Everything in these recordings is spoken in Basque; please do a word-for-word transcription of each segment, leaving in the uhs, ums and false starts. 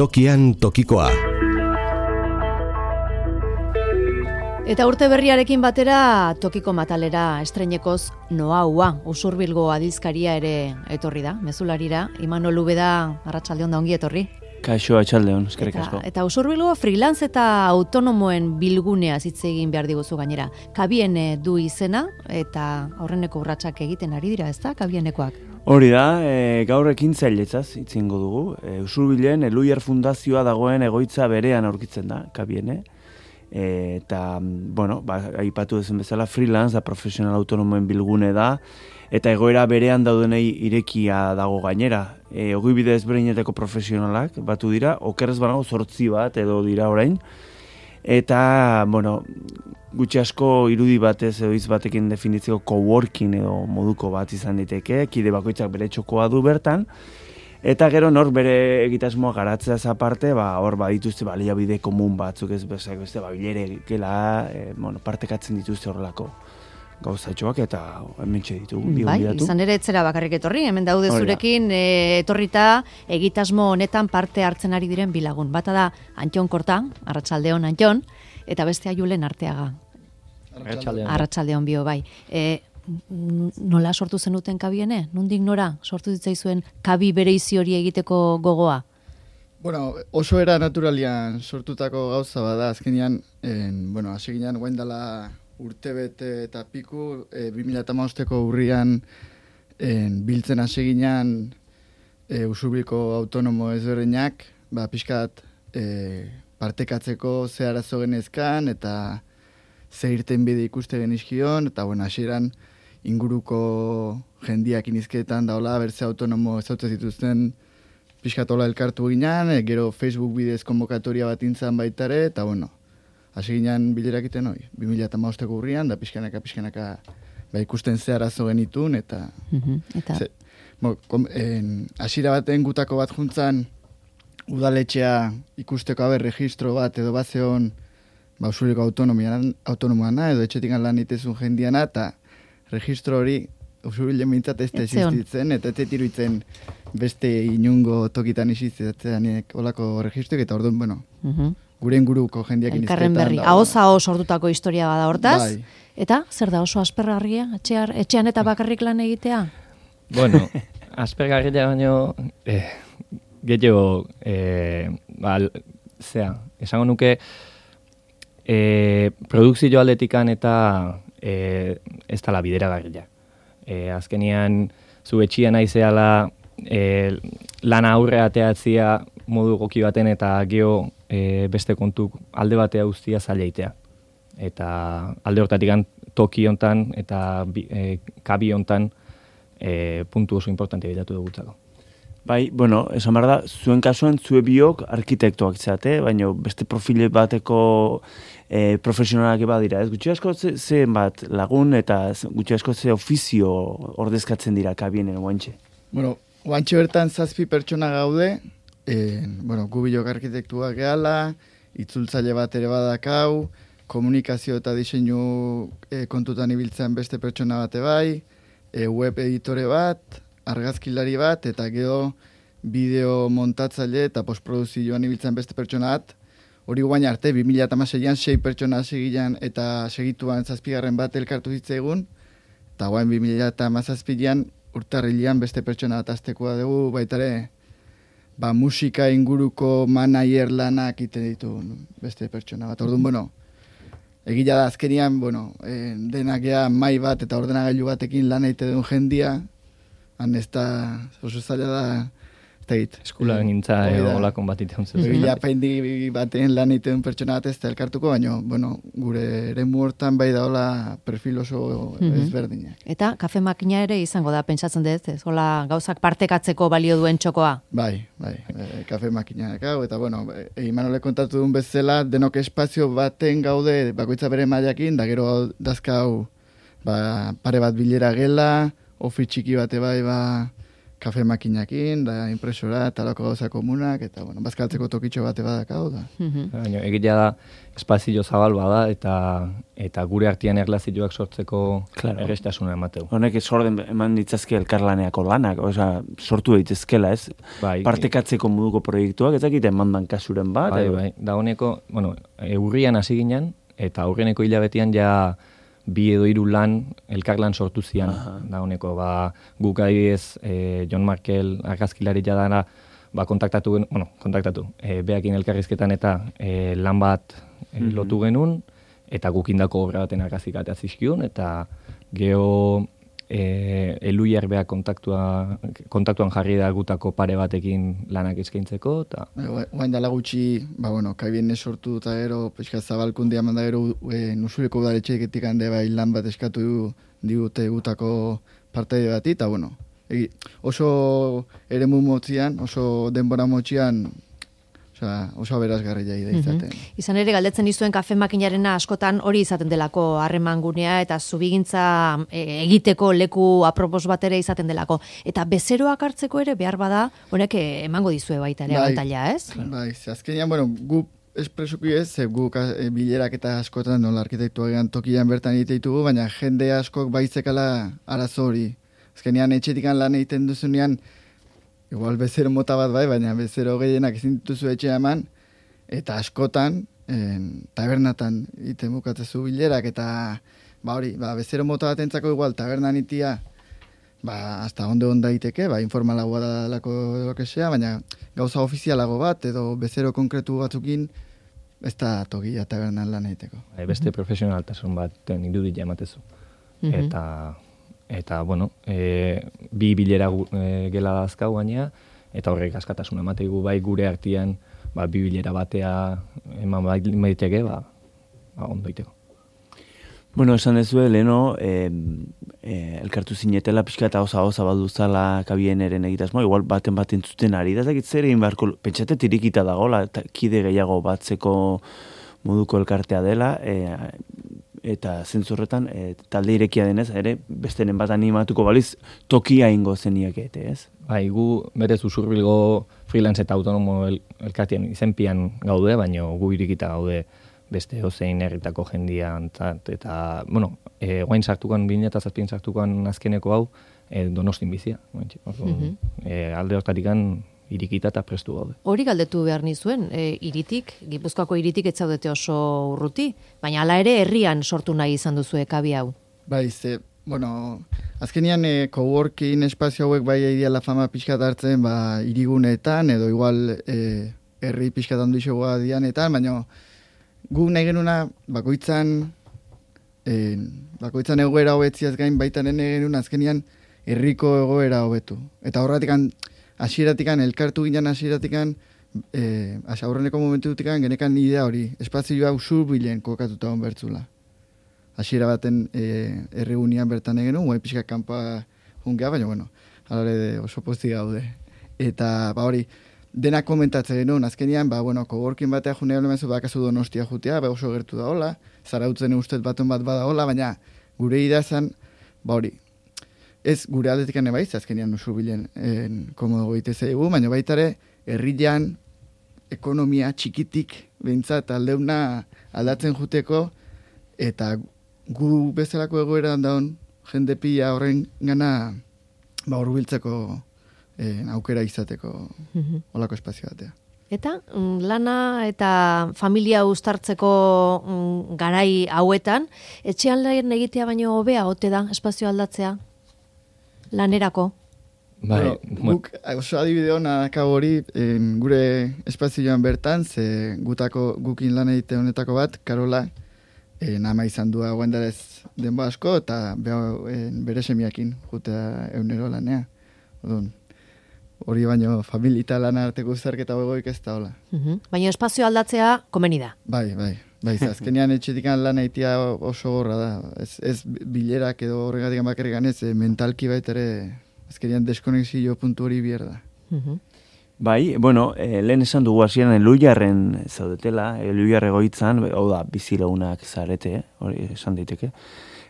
Tokian tokikoa. Eta urte berriarekin batera tokiko matalera estreinekoz Noaua, Usurbilgo adizkaria ere etorri da, mezularira. Imanol Ubeda, arratsaldeon da ongi etorri. Kaixo, atxaldeon, eskerrik asko. Eta, eta Usurbilgo freelance eta autonomoen bilgunea hitz egin behar diguzu gainera. Kabien du izena eta aurreneko urratsak egiten ari dira, ezta? Kabienekoak. Hori da, e, gaur ekintzailetzaz hitz egingo dugu. E, Usurbilen Eluiar Fundazioa dagoen egoitza berean aurkitzen da, Kabiene. E, eta, bueno, ba, aipatu dezen bezala, freelance da, profesional autonomoen bilgune da, eta egoera berean daudenei irekia dago gainera. E, ogibide ezberdinetako profesionalak batu dira, okerrez banago zortzi bat edo dira orain, eta, bueno, gutxi asko irudi batez edo hitz batekin definitzeko coworking edo moduko bat izan diteke, kide bakoitzak bere txokoa du bertan, eta gero nor bere egitasmoa garatzeaz aparte, ba, hor badituzte baliabide komun batzuk ez bezak beste babilere gela, e, bueno, partekatzen dituzte horrelako gauzatxoak eta hementxe ditugu. Bai, izan ere etzera bakarrik etorri, hemen daude zurekin e, etorrita egitasmo honetan parte hartzen ari diren bilagun. Bata da Antxon Korta, arratsaldeon Antxon, eta bestea Julen Arteaga. Arratsaldeon. Arratsaldeon bio, bai. E, nola sortu zenuten Kabiene? Nondik nora sortu ditzaizuen Kabi bereizi hori egiteko gogoa? Bueno, oso era naturalian sortutako gauza bada, azkenean, en, bueno, hasi ginean guain dela urtebete eta piku, e, bi mila hamabosteko urrian en, biltzen hasi ginean e, Usurbilko autonomo ezberdinak, ba, pixkat e, partekatzeko ze arazo genezkan eta ze irten bide ikuste genizkion, eta bueno, hasieran inguruko jendiak inizketan daola, berze autonomo ezautzen zituzten pixkatola elkartu ginean, e, gero Facebook bidez konbokatoria bat intzan baitare, eta bueno, hasi ginean bilerak iten hoi, bi mila hamabosteko urrian, da pixkanaka, pixkanaka ba, ikusten ze arazo genitun, eta... Uh-huh. Eta... Ze, bo, kom, en, hasiera baten gutako bat juntzan, udaletxea ikusteko haber registro bat edo bazeon, ba, Usurbilko autonomoana, edo etxetik lan itezun jendiana, eta registro hori Usurbilen mintzat ez da existitzen, eta ez iruditzen beste inungo tokitan existitzeanek olako registroik, eta orduan, bueno, uh-huh. gure inguruko jendiak inizketan. Elkarren berri, ahoz ahoz sortutako historia bada hortaz, bai. Eta zer da oso aspergarria, etxear, etxean eta bakarrik lan egitea? Bueno, aspergarria baino, eh, gehiago, eh, ba, zea, esango nuke, E, produkzio aldetikan eta e, ez dala bideragarria. E, azkenian, zu etxia naizeala e, lana aurre ateatzia modu goki baten eta geho e, beste kontuk alde batea guztia zaileitea. Eta alde hortatik toki hontan eta e, kabi hontan e, puntu oso importante bitatu dugutzako. Bai, bueno, esan behar da, zuen kasuan zue biok arkitektoak zate, baina beste profile bateko e, profesionalak eba dira. Ez gutxi asko ze, ze bat lagun eta gutxi asko ze ofizio ordezkatzen dira Kabienen guantxe? Bueno, guantxe bertan zazpi pertsona gaude, e, bueno, gu biok arkitektuak gehala, itzultzaile bat ere badakau, komunikazio eta diseinu e, kontutan ibiltzen beste pertsona bate bai, e, web editore bat, argazkilari bat, eta gero bideo montatzaile eta postproduzioan ibiltzen beste pertsona bat. Hori guain arte, bi mila hamaseian sei pertsona segilan eta segituan zazpigarren bat elkartu zitzaigun, eta guain bi mila hamazazpian urtarrilean beste pertsona bat aztekoa dugu, baitare, ba, musika inguruko manager lanak ite ditu beste pertsona bat. Orduan, bueno, egila da azkenian, bueno, eh, denak ea mai bat eta ordenagailu batekin lan egite duen jendia, han ez da, oso zaila da, ez da egit. Eskula gintza olakon bat itean zuen. Egila paindi baten lan egiten pertsona bat ez da elkartuko, baina, bueno, gure eremu hortan bai da hola perfil oso mm-hmm. ezberdinak. Eta kafe makina ere izango da, pentsatzen dut, ez? Hola gauzak partekatzeko balio duen txokoa? Bai, bai, e, kafe makina hau, eta bueno, e, Imanole kontatu duen bezala, denok espazio baten gaude, bakoitza bere mailakin, da gero dazkau ba, pare bat bilera gela, ofi txiki bate bai, ba, kafe makinakin, da impresora, talako gauza komunak, eta, bueno, bazkaltzeko tokitxo bate badakau, da. Baina, egitea da, espazio zabal bada, eta eta gure artean erlazioak sortzeko claro. errestasuna emateu. Honek sorden eman ditzazke elkarlaneako lanak, osea, sortu daitezkela, ez? Bai, partekatzeko moduko proiektuak, ez dakite emandan kasuren bat? Bai, bai, da honeko, bueno, urrian hasi ginen, eta aurreneko hilabetean ja bi edo hiru lan, elkarlan sortu zian. Aha. Da honeko, ba, guk adibidez, eh, John Markel, argazkilari jadana, ba, kontaktatu, bueno, kontaktatu, e, beakin elkarrizketan eta e, lan bat e, mm-hmm. lotu genuen, eta gukindako obra baten argazik atea zizkiun, eta geho e, eluiar beak kontaktua, kontaktuan jarri da gutako pare batekin lanak eskaintzeko, eta... Guain dala gutxi, ba, bueno, kaibien sortu eta gero, pixka zabalkundia manda gero, e, nusureko udaletxeeketik hande bai lan bat eskatu digute gutako parte bati, eta, bueno, egi, oso eremu motzian, oso denbora motzian, osea, oso aberazgarri jai da izaten. Mm-hmm. Izan ere, galdetzen dizuen kafe makinarena askotan hori izaten delako harreman gunea eta zubigintza e, egiteko leku apropos bat ere izaten delako. Eta bezeroak hartzeko ere behar bada, honek emango dizue baita ere abantaila, ez? Bai, azkenean, bueno, gu espresuki ez, gu e, bilerak eta askotan nola arkitektua gehan tokian bertan egite ditugu, baina jende askok baitzekala arazo hori. Azkenean etxetikan lan egiten duzunean, igual bezero mota bat bai, baina bezero gehienak ezin dituzu etxea eman, eta askotan, en, tabernatan iten bukatzezu bilerak, eta ba hori, ba, bezero mota bat entzako igual tabernan itia, ba, hasta onde onda iteke, ba, informalagoa da lako edo kesea, baina gauza ofizialago bat, edo bezero konkretu batzukin, ez da tokia tabernan lan egiteko. Beste mm-hmm. profesionaltasun bat irudia ematezu. Mm-hmm. Eta... Eta, bueno, e, bi bilera e, gela dazkau gainea, eta horrek askatasuna emateigu bai gure artean, ba, bi bilera batea eman baiteke, ba, ba ondo iteko. Bueno, esan dezue, leheno, e, e, elkartu zinetela pixka eta osa osa balduzala kabien eren egitasmo, igual baten baten zuten ari, da zakit zer egin beharko, pentsate tirikita dagoela, kide gehiago batzeko moduko elkartea dela, e, eta zentzurretan, e, talde irekia denez, ere, bestenen bat animatuko baliz, tokia ingo zeniak ete, ez? Bai, gu berez usurbilgo freelance eta autonomo el, elkartian izenpian gaude, baina gu irikita gaude beste ozein herritako jendian, eta, bueno, e, guain sartukan, bine eta zazpien sartukan azkeneko hau, e, Donostin bizia. Mm-hmm. e, alde hortarikan, irikita eta prestu gaude. Hori galdetu behar nizuen, e, iritik, Gipuzkoako iritik ez zaudete oso urruti, baina hala ere herrian sortu nahi izan duzu ekabi hau. Bai, ze, bueno, azkenian e, coworking espazio hauek bai ideala fama pixkat hartzen, ba, irigunetan, edo igual e, herri pixkat handu isogoa dianetan, baina gu nahi genuna bakoitzan, e, bakoitzan egoera hobetziaz gain baita nahi genuna azkenian herriko egoera hobetu. Eta horratikan, hasieratikan elkartu ginen hasieratikan, eh, aurreneko momentutikan genekan idea hori, espazioa usurbilen kokatuta hon bertzula. Hasiera baten eh, erregunian bertan egenu, guai pixka kanpa jungea, baina bueno, alare oso posti gaude. Eta ba hori, denak komentatzen genuen, azkenian, ba bueno, coworking batea junea lemezu bakazu Donostia jutea, ba oso gertu da hola, zarautzen ustez baten bat bada hola, baina gure idea zen, ba hori, ez gure aldetikan ebaiz, azkenean usurbilen komodo goite zaigu, baina baita ere, herrian ekonomia txikitik behintzat aldeuna aldatzen juteko, eta gu bezalako egoeran daun jende pila horren gana ba, urbiltzeko eh, aukera izateko mm-hmm. olako espazio batea. Eta lana eta familia uztartzeko mm, garai hauetan, etxean lan egitea baino hobea ote da espazio aldatzea? Lanerako? Bai, bueno, guk oso adibide hona hori en, gure espazioan bertan, ze gutako gukin lan egite honetako bat, Karola, en, ama izan du guendarez denbo asko, eta en, bere semiakin jutea eunero lanea. Odun, hori baino familita lan arteko uzarketa begoik ez da hola. Uh-huh. Baina espazio aldatzea komeni da. Bai, bai. Bai, azkenean etxetikan lan egitea oso gorra da. Ez, ez bilerak edo horregatik bakarrikan ez, mentalki baita ere azkenean deskonexio puntu hori bier da. Uh-huh. Bai, bueno, eh, lehen esan dugu hasieran Eluiarren zaudetela, Eluiar egoitzan, hau da, bizilagunak zarete, hori esan daiteke.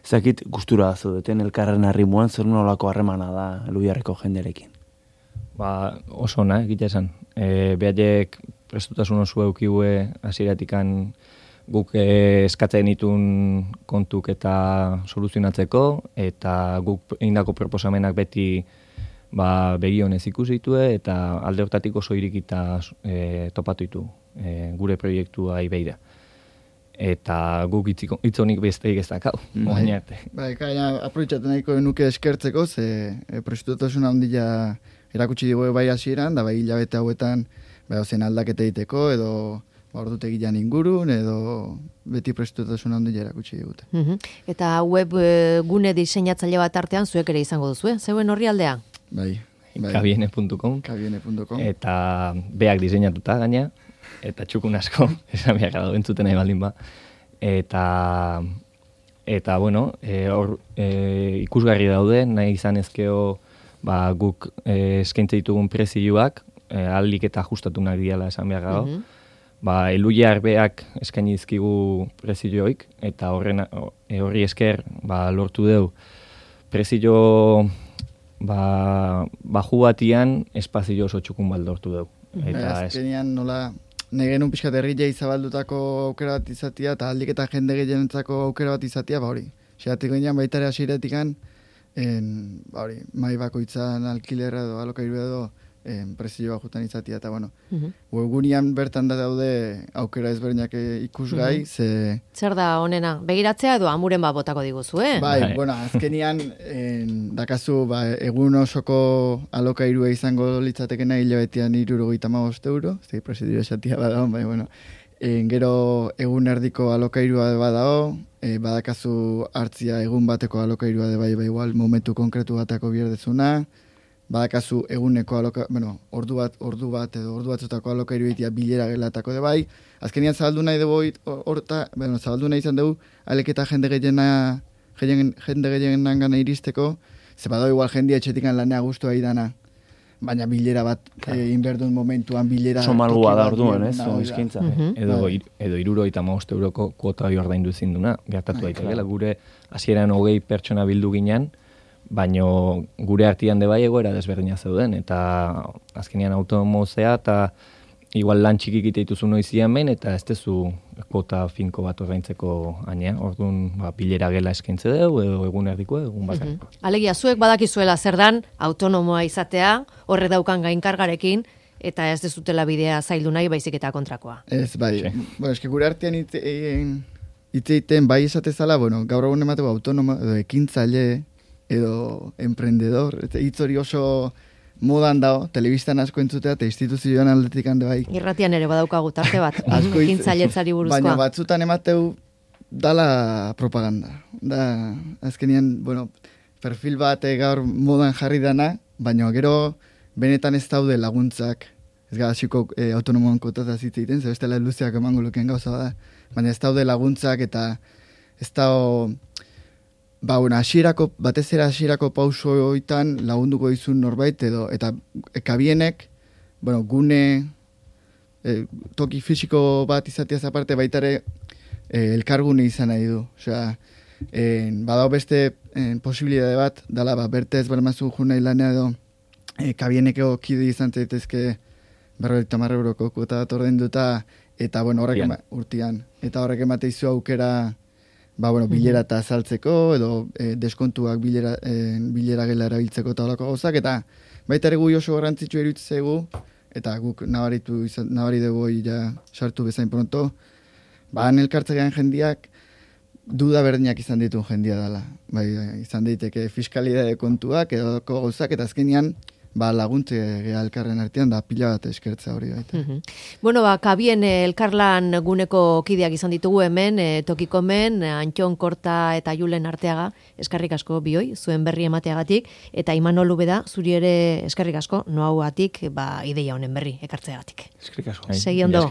Ezakit gustura zaudeten elkarren harrimuan zer nolako harremana da Eluiarreko jenderekin. ba, oso ona, egite esan. E, behaiek prestutasun oso eukiue hasieratikan guk e, eskatzen ditun kontuk eta soluzionatzeko, eta guk egindako proposamenak beti ba, begionez ikusi ditue, eta alde hortatik oso irikita e, topatu ditu e, gure proiektua ibeida. Eta guk hitzonik besteik ez dakau, moain arte. Bai, gaina aprobetxatu nahiko nuke eskertzeko, ze e, prestutasun handia erakutsi digu bai hasieran, da bai hilabete hauetan bai zen aldaketa egiteko, edo ba, ordutegian ingurun, edo beti prestutasun handia erakutsi digute. Uh-huh. Eta web e, gune diseinatzaile bat artean zuek ere izango duzu, eh? Zeuen horri aldea? Bai. bai. kabiene puntu com kabiene puntu com Eta beak diseinatuta gaina, eta txukun asko, esan behar dago entzuten nahi baldin ba. Eta, eta bueno, e, or, e, ikusgarri daude, nahi izan ezkeo ba, guk e, eskaintze ditugun prezioak, e, aldik eta ajustatu nahi diala esan behar dago. Mhm. Ba, eluiar beak eskaini dizkigu prezioik, eta horren, e, horri esker ba, lortu deu prezio ba, baju batian espazio oso txukun bat lortu deu. Eta azkenean nola nahi genuen pixkat herrilei zabaldutako aukera bat izatea, eta aldik eta jende gehienentzako aukera bat izatea, ba hori. Xeratik ginean baitare hasieratikan, ba hori, mai bakoitzan alkilera edo alokairu edo en, prezioa jutan izatea, eta bueno, uh-huh. webgunean bertan da daude aukera ezberdinak ikusgai, uh-huh. ze... Zer da honena, begiratzea edo amuren bat botako diguzu, eh? Bai, bai. Bueno, azkenian en, dakazu ba, egun osoko alokairua izango litzatekena hilabetean hirurogeita hamabost euro, zei presidio esatia badao, bai, bueno, en, gero egun erdiko alokairua badao, e, badakazu hartzia egun bateko alokairua de bai, bai, igual, momentu konkretu batako bierdezuna, badakazu eguneko aloka, bueno, ordu bat, ordu bat edo ordu batzutako alokairu egitea bilera gelatako de bai. Azkenian zabaldu nahi dugu horta, bueno, zabaldu nahi izan dugu aleketa jende gehiena, jende gehienan gana iristeko, ze badau igual jendia etxetikan lanea guztua idana, baina bilera bat claro. e, inberdun momentuan bilera... Oso malgua da orduan, ez? No, izkintza. Uh-huh. Edo, ir, edo iruro eta maost euroko kuota hori ordaindu zinduna, gertatu daiteke, gure hasieran hogei pertsona bildu ginean, baino gure artian de bai egoera desberdina zeuden, eta azkenean automozea, eta igual lan txikik iteituzu noizian behin, eta ez tezu kota finko bat ordaintzeko aina, orduan ba, bilera gela eskaintze dugu, edo egun erdiko, egun bakar. Uh-huh. Alegia, zuek badakizuela zer dan, autonomoa izatea, horre daukan gainkargarekin, eta ez dezutela bidea zaildu nahi baizik eta kontrakoa. Ez, bai, sí. Bueno, eski gure artean itzeiten bai esatezala, bueno, gaur egun emateko autonomo, edo ekintzaile, edo emprendedor, hitz hori oso modan dago, telebistan asko entzutea, eta instituzioan aldetik hande bai. Irratian ere badaukagu tarte bat, ekintzailetzari buruzkoa. Baina batzutan emateu dala propaganda. Da, azkenean, bueno, perfil bat gaur modan jarri dana, baina gero benetan ez daude laguntzak, ez gara xiko e, autonomoan kotata zitzeiten, zer bestela luzeak emango lukeen gauza da, baina ez daude laguntzak eta ez dago... Ba, bueno, asierako, batez ere asierako pauso hoitan lagunduko izun norbait, edo, eta kabienek, bueno, gune, e, toki fisiko bat izateaz aparte, baitare e, elkargune izan nahi du. Osea, e, badao beste e, posibilidade bat, dala, ba, bertez barmazu junai lanea edo, e, kabieneko kide izan zaitezke berrogeita hamar euroko kuota bat ordainduta, eta, bueno, horrek ema, urtian, eta horrek emateizu aukera, ba, bueno, bilera eta azaltzeko, edo e, deskontuak bilera, e, bilera gela erabiltzeko eta holako gauzak, eta baita ere gui oso garrantzitsu eruditzegu, eta guk nabaritu izan, nabari dugu ja sartu bezain pronto, ba, elkartzean jendiak duda berdinak izan ditu jendia dela. Bai, izan daiteke fiskalidade kontuak, edo gauzak, eta azkenean, ba, laguntze geha elkarren artean, da pila bat eskertza hori baita. Uh-huh. Bueno, ba, kabien elkarlan guneko kideak izan ditugu hemen, e, tokiko hemen, Antxon Korta eta Julen Arteaga, eskerrik asko bioi, zuen berri emateagatik, eta Imanol Ubeda, zuri ere eskerrik asko, noauatik, ba, ideia honen berri ekartzeagatik. Eskerrik asko. Segi ondo.